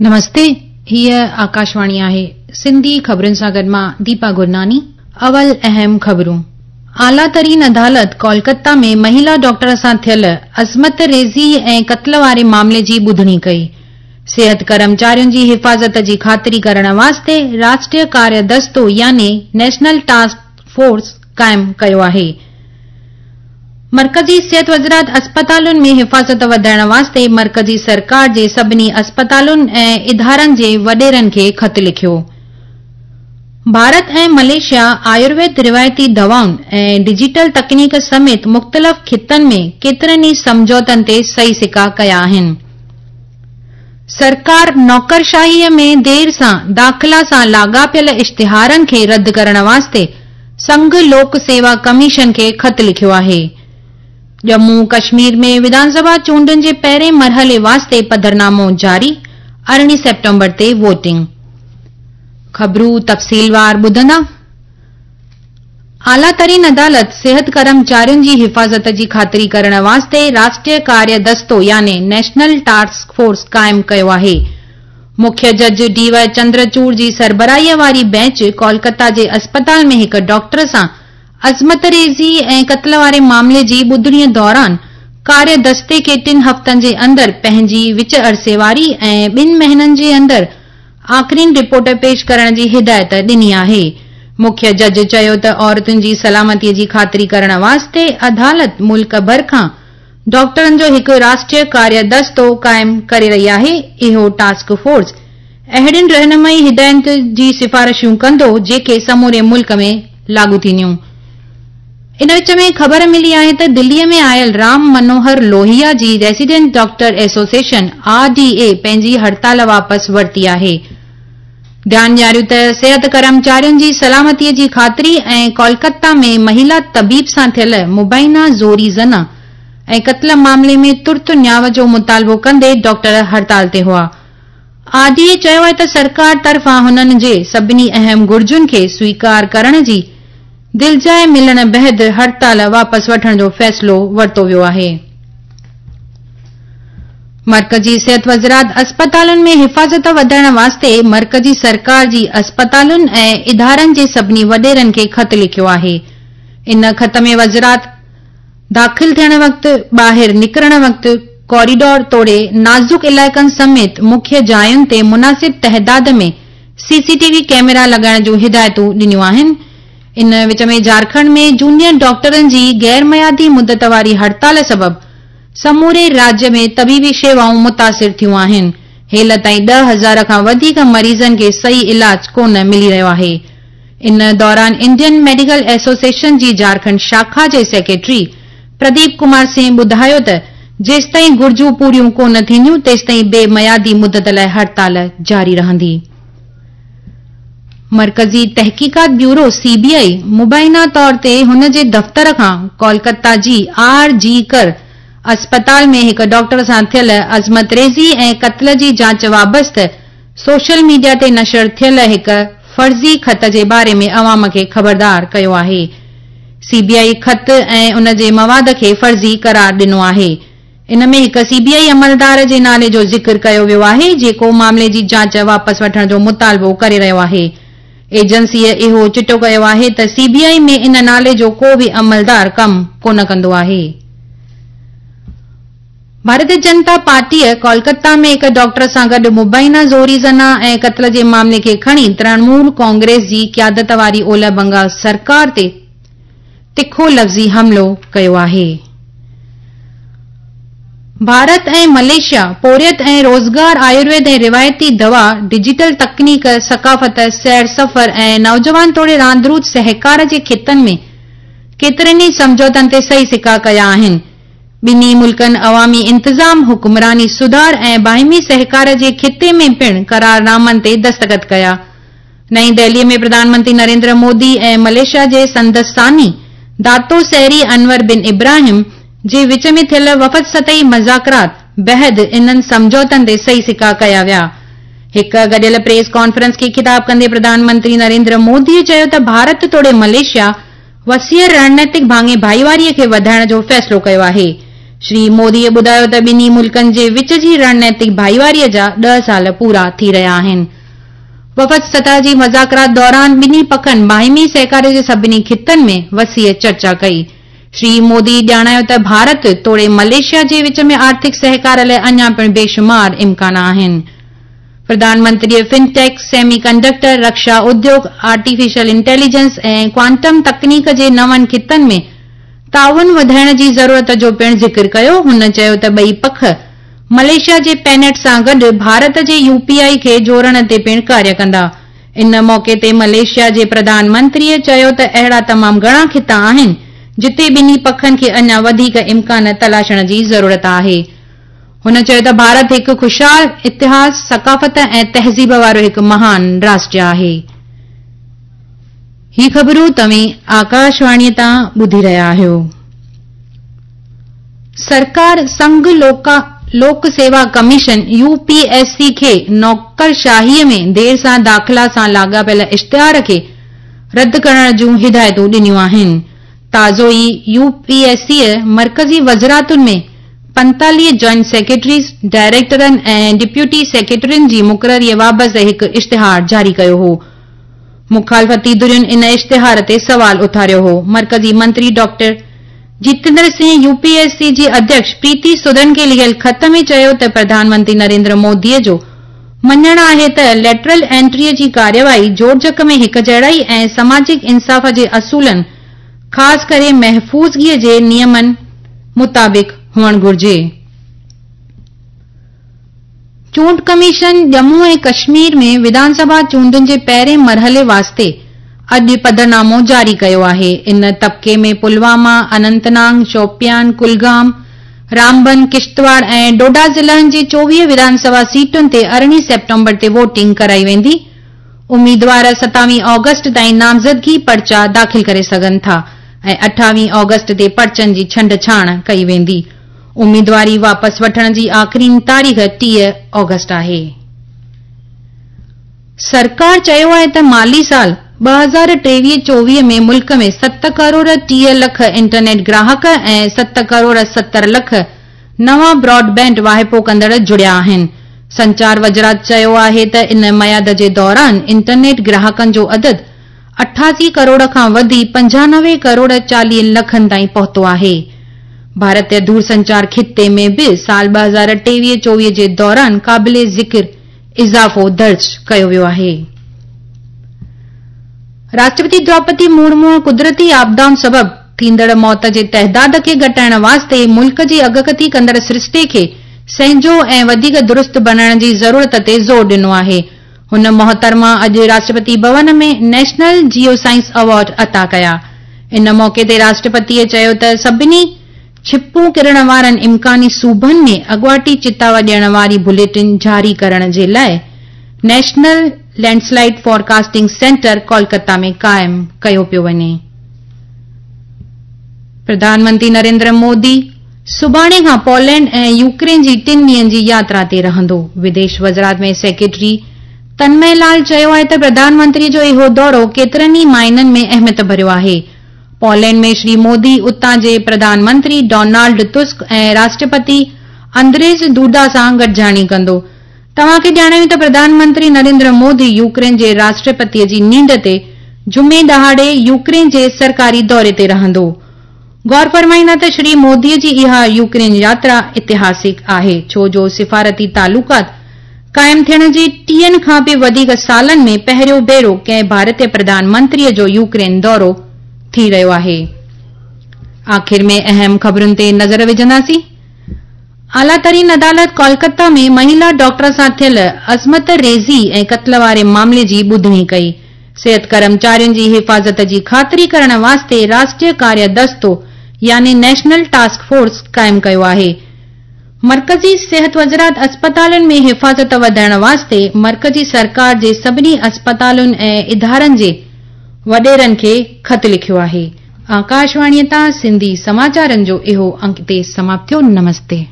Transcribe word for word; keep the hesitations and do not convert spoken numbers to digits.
نمستي، هيء آڪاشواڻي آهي. سنڌي خبرن سان گڏ مان ديپا گرناني. اول اهم خبرون. اعليٰ ترين عدالت ڪولڪتا ۾ مهيلا ڊاڪٽر سان ٿيل عصمت ريزي ۽ قتل واري معاملي جي ٻڌڻي ڪئي. صحت ڪرمچارين جي حفاظت جي خاطري ڪرڻ واسطي راشٽريه ڪاريه دستو يعني نيشنل ٽاسڪ فورس قائم ڪيو آهي. مرڪزي صحت وزارت اسپتالن ۾ حفاظت وڌائڻ واسطي مرڪزي سرڪار جي سڀني اسپتالن ۽ ادارن جي وڏيرن کي خط لکيو. ڀارت ۽ ملائيشيا آيورويد روايتي دوائن ۽ ڊجيٽل تڪنيڪ سميت مختلف خطن ۾ ڪيترن ئي سمجهوتن تي صحيح سڪا ڪيا آهن. سرڪار نوڪرشاهيء ۾ دير سان داخلا سان لاڳاپيل اشتهارن کي رد ڪرڻ واسطي سنگهه لوڪ سيوا ڪميشن کي خط لکيو آهي. ڄمون ڪشمير ۾ وڌان سڀا چونڊن جي پهرين مرحلي واسطي پڌرنامو جاري، ارڙهين سيپٽمبر تي ووٽنگ. خبرون تفصيلوار ٻڌندا. اعليٰ ترين عدالت صحت ڪرمچارين جي حفاظت جي خاطري ڪرڻ واسطي راشٽريه ڪاريه دستو يعني نيشنل ٽاسڪ فورس قائم ڪيو آهي. مکيه جج ڊي وائي چندرچوڙ جي سربراهيء واري بينچ ڪولڪتا جي اسپتال ۾ هڪ ڊاڪٽر سان عصمت ريزي ۽ قتل واري معاملي جي ٻڌڻيء دوران ڪاريه دستي کي ٽن هفتن جي اندر پنهنجي وچ عرصي واري ۽ ٻن مهينن جي اندر آخرين رپورٽ پيش ڪرڻ جي هدايت ڏني آهي. مکيه جج چيو ته عورتن جي سلامتيء جي خاطري ڪرڻ واسطي عدالت ملڪ ڀر کان ڊاڪٽرن جو هڪ راشٽريه ڪاريه دستو قائم ڪري رهي آهي. اهو ٽاسڪ فورس اهڙين رهنمائي هدايتن جي سفارشون ڪندو جيڪي سموري ملڪ ۾ لاڳو ٿينديون. ان وچ ۾ خبر ملي آهي ته دليء ۾ آيل رام منوهر لوهيا جي resident doctor association, R D A, پنهنجي هڙتال واپس ورتي آهي. ڌيان ڏياريون ته صحت ڪرمچارين جي سلامتيء جي خاطري ۽ ڪولڪتا ۾ مهيلا طبيب سان ٿيل مبينا زوري زنا ۽ قتل معاملي ۾ ترت نياء جو مطالبو ڪندي ڊاڪٽر هڙتال تي هئا. آر ڊي اي چيو آهي ته سرڪار طرفان هنن جي سڀني اهم گهرجن کي سويڪار ڪرڻ جي دلجاء ملڻ بعد هڙتال واپس وٺڻ جو فيصلو ورتو ويو آهي. مرڪزي صحت وزارت اسپتالن ۾ حفاظت وڌائڻ واسطي مرڪزي سرڪار جي اسپتالن ۽ ادارن جي سڀني وڏيرن کي خط لکيو آهي. ان خط ۾ وزارت داخل ٿيڻ وقت، ٻاهر نڪرڻ وقت، ڪوريڊور توڙي نازڪ علائقن سميت مکيه جاين تي مناسب تعداد ۾ سي سي ٽي وي ڪئميرا لڳائڻ جون هدايتون ڏنيون آهن. ان وچ ۾ جهارکنڊ ۾ جونيئر ڊاڪٽرن جي غيرميعادي مدت واري هڙتال سبب سموري راجيه ۾ طبيبي شيوائون متاثر ٿيون آهن. هيل تائين ڏهه هزار کان وڌيڪ مريضن کي صحيح علاج ڪونه ملي رهيو آهي. ان دوران انڊين ميڊيڪل ايسوسيئيشن جي جهارکنڊ شاخا جي سيڪريٽري پرديپ ڪمار سنگهه ٻڌايو ته جيستائين گهرجون پوريون ڪونه ٿينديون تيستائين بي ميعادي مدت لاء هڙتال جاري رهندي. مرڪزي تحقيقات بيورو، سي بي آء، مبينا طور تي هن جي دفتر کان ڪولڪتا جي آر جي ڪر اسپتال ۾ هڪ ڊاڪٽر سان ٿيل عصمت ريزي ۽ قتل جي جاچ وابسته سوشل ميڊيا تي نشر ٿيل هڪ فرضي خط جي باري ۾ عوام کي خبردار ڪيو آهي. سي بي آء خط ۽ ان جي مواد کي فرضي قرار ڏنو آهي. ان ۾ هڪ سي بي آء عملدار جي نالي جو ذڪر ڪيو ويو آهي جيڪو معاملي جي جاچ واپس وٺڻ جو مطالبو ڪري رهيو آهي. ايجنسيء اهو چٽو ڪيو آهي ته سي بي آء ۾ ان نالي جو ڪو به عملدار ڪم ڪونه ڪندو آهي. ڀارتيه جنتا پارٽيء ڪولڪتا ۾ هڪ ڊاڪٽر سان گڏ مبينا زوري زنا ۽ قتل جي معاملي کي کڻي ترڻمول ڪانگريس جي قيادت واري اولهه بنگال سرڪار تي تکو لفظي حملو ڪيو آهي. ڀارت ۽ ملائيشيا پورهيت ۽ روزگار، آيورويد ۽ روايتي دوا، ڊجيٽل تڪنيڪ، ثقافت، سير سفر ۽ نوجوان توڙي راندروت سهڪار جي خطن ۾ ڪيترن ئي سمجهوتن تي صحيح سڪا ڪيا آهن. ٻنهي ملڪن عوامي انتظام، حڪمراني سڌار ۽ باهمي سهڪار جي خطي ۾ پڻ قرارنامن تي دستخط ڪيا. نئين دهليء ۾ پرڌان منتري نريندر مودي ۽ ملائيشيا جي سندس ثاني داتو سيري انور بن ابراهيم جي وچ ۾ ٿيل وفد سطحي مذاڪرات بعد انهن سمجهوتن تي صحيح سڪا ڪيا ويا. هڪ گڏيل پريس ڪانفرنس کي خطاب ڪندي پرڌان منتري نريندر موديء چيو ته ڀارت توڙي ملائيشيا وسيع رڻنيتڪ ڀاڱي ڀائيواريء کي وڌائڻ جو فيصلو ڪيو آهي. شري موديءَ ٻڌايو ته ٻنهي ملڪن جي وچ جي رڻنيتڪ ڀائيواريءَ جا ڏهه سال پورا ٿي رهيا آهن. وفد سطح جي مذاڪرات دوران ٻنهي پکن باهمي سهڪار جي سڀني خطن ۾ وسيع چرچا ڪئي. شري مودي ڄاڻايو ته ڀارت توڙي ملائيشيا جي وچ ۾ آرٿڪ سهڪار لاءِ اڃا پڻ بيشمار امڪان آهن. پرڌان منتريءَ فنٽيڪ، سيمي ڪنڊڪٽر، رڪشا اديوگ، آرٽيفيشل انٽيليجنس ۽ ڪوانٽم تڪنيڪ جي نون خطن ۾ تعاون وڌائڻ جي ضرورت جو پڻ ذڪر ڪيو. هن چيو ته ٻئي پک ملائيشيا جي پينيٽ سان گڏ ڀارت جي يو پي I کي جوڙڻ تي پڻ ڪاريه ڪندا. ان موقعي تي ملائيشيا جي پرڌان منتريءَ چيو ته اهڙا تمام گهڻا خطا آهن جتي ٻنهي پکن کي اڃا وڌيڪ امڪان تلاشڻ جي ضرورت آهي. هن چيو ته ڀارت هڪ خوشحال اتهاس، ثقافت ۽ تهذيب وارو هڪ مهان راشٽر آهي. هي خبرون توهين آڪاشواڻيءَ تان ٻڌي رهيا آهيو. سرڪار سنگهه لوڪا لوڪ سيوا commission U P S C کي نوڪرشاهيءَ ۾ دير سان داخلا سان لاڳاپيل اشتهار کي رد ڪرڻ جون هدايتون ڏنيون آهن. تازو ئي يو پي ايس سيءَ مرڪزي وزارتن ۾ پنتاليهه جوائنٽ سيڪريٽريز، ڊائريڪٽرن ۽ ڊپٽي سيڪريٽرين جي مقرريءَ بابت هڪ اشتهار جاري ڪيو هو. مخالفتي ڌرين ان اشتهار تي سوال اٿاريو هو. مرڪزي منتري doctor Jitendra Singh U P S C جي اڌيڪش پريتي سدن کي لکيل خط ۾ چيو ته پرڌان منتري نريندر موديءَ جو مڃڻ آهي ته ليٽرل انٽريءَ جي ڪارروائي جوڙجڪ ۾ هڪجهڙائي ۽ سماجڪ انصاف جي اصولن، خاص ڪري محفوظگيءَ جي نيمن مطابق هئڻ گهرجي. چونڊ ڪميشن ڄمون ۽ ڪشمير ۾ وڌان سڀا چونڊن جي پهرين مرحلي واسطي اڄ پڌرنامو جاري ڪيو آهي. ان طبقي ۾ پلواما، اننت ناگ، شوپيان، ڪلگام، رامبن، ڪشتواڙ ۽ ڊوڊا ضلعن جي چوويهه وڌان سڀا سيٽن تي ارڙهين سيپٽمبر تي ووٽنگ ڪرائي ويندي. اميدوار ستاويهه آگسٽ تائين نامزدگي پرچا داخل ڪري سگهن ٿا ۽ اٺاويهه آگسٽ تي پرچن جي ڇنڊڇاڻ ڪئي ويندي. اميدواري واپس وٺڻ جي آخرين تاريخ ٽيهه آگسٽ آهي. سرڪار چيو آهي ته مالي سال ٻه هزار ٽيويهه چوويهه ۾ ملڪ ۾ ست ڪروڙ ٽيهه لک انٽرنيٽ گراهڪ ۽ ست ڪروڙ ستر لک نوان براڊ بينڊ واهپو ڪندڙ جڙيا آهن. سنچار وزارت چيو آهي ته ان ميعاد جي دوران انٽرنيٽ گراهڪن جو عدد اٺاسي ڪروڙ کان وڌي پنجانوي ڪروڙ چاليهه لکن تائين پهتو آهي. ڀارتيه دورسنچار خطي ۾ به سال ٻه هزار ٽيويهه چوويهه جي دوران قابل ذڪر اضافو درج ڪيو ويو آهي. راشٽرپتي دروپدي مرمو قدرتي آپدائن سبب ٿيندڙ موت جي تعداد کي گهٽائڻ واسطي ملڪ جي اڳڪٿي ڪندڙ سرشتي کي سهنجو ۽ وڌيڪ درست بڻائڻ جي ضرورت تي زور ڏنو آهي. هن محترمه اڄ راشٽرپتي ڀون ۾ نيشنل جيو سائنس ايوارڊ عطا ڪيا. ان موقعي تي راشٽرپتيءَ چيو ته سڀني ڇپون ڪرڻ وارن امڪاني صوبن ۾ اڳواٽي چتاءُ ڏيڻ واري بليٽن جاري ڪرڻ جي لاءِ national landslide forecasting centre Kolkata ۾ قائم ڪيو پيو وڃي. پرڌان منتري نريندر مودي سڀاڻي کان پولينڊ ۽ يوڪرين جي ٽن ڏينهن جي ياترا تي رهندو. وديش وزارت ۾ سيڪريٽري تنمي لال چيو آهي ته پرڌان منتري جو اهو دورو ڪيترن ئي معنن ۾ اهميت ڀريو آهي. پولينڊ ۾ شري مودي اتان جي پرڌان منتري ڊونالڊ تسڪ ۽ راشٽرپتي اندريز دوڊا سان گڏجاڻي ڪندو. توهان کي ڄاڻايون ته پرڌان منتري نريندر مودي يوڪرين جي راشٽرپتيءَ جي نينڍ تي جمعي ڏهاڙي يوڪرين جي سرڪاري دوري تي رهندو. غور فرمائيندا ته شري موديءَ جي اها يوڪرين ياترا اتهاسڪ آهي، ڇو جو سفارتي تعلقات قائم ٿيڻ جي ٽيهن کان به وڌيڪ سالن ۾ پهريون ڀيرو ڪنهن ڀارتيه پرڌان منتريءَ جو يوڪرين دورو ٿي رهيو آهي. آخر ۾ اهم خبرن تي نظر وجهنداسين. اعليٰ ترين عدالت ڪولڪتا ۾ مهلا ڊاڪٽر سان ٿيل عصمت ريزي ۽ قتل واري معاملي جي ٻڌڻي ڪئي. صحت ڪرمچارين جي حفاظت جي خاطري ڪرڻ واسطي راشٽريه ڪاريه دستو يعني نيشنل ٽاسڪ فورس قائم ڪيو آهي. مرڪزي صحت وزارت اسپتالن ۾ حفاظت وڌائڻ واسطي مرڪزي سرڪار جي سڀني اسپتالن ۽ ادارن جي وڏيرن کي خط لکيو آهي. آڪاشواڻيءَ تان سنڌي سماچارن جو اهو انڪ هتي سماپت ٿيو. نمستي.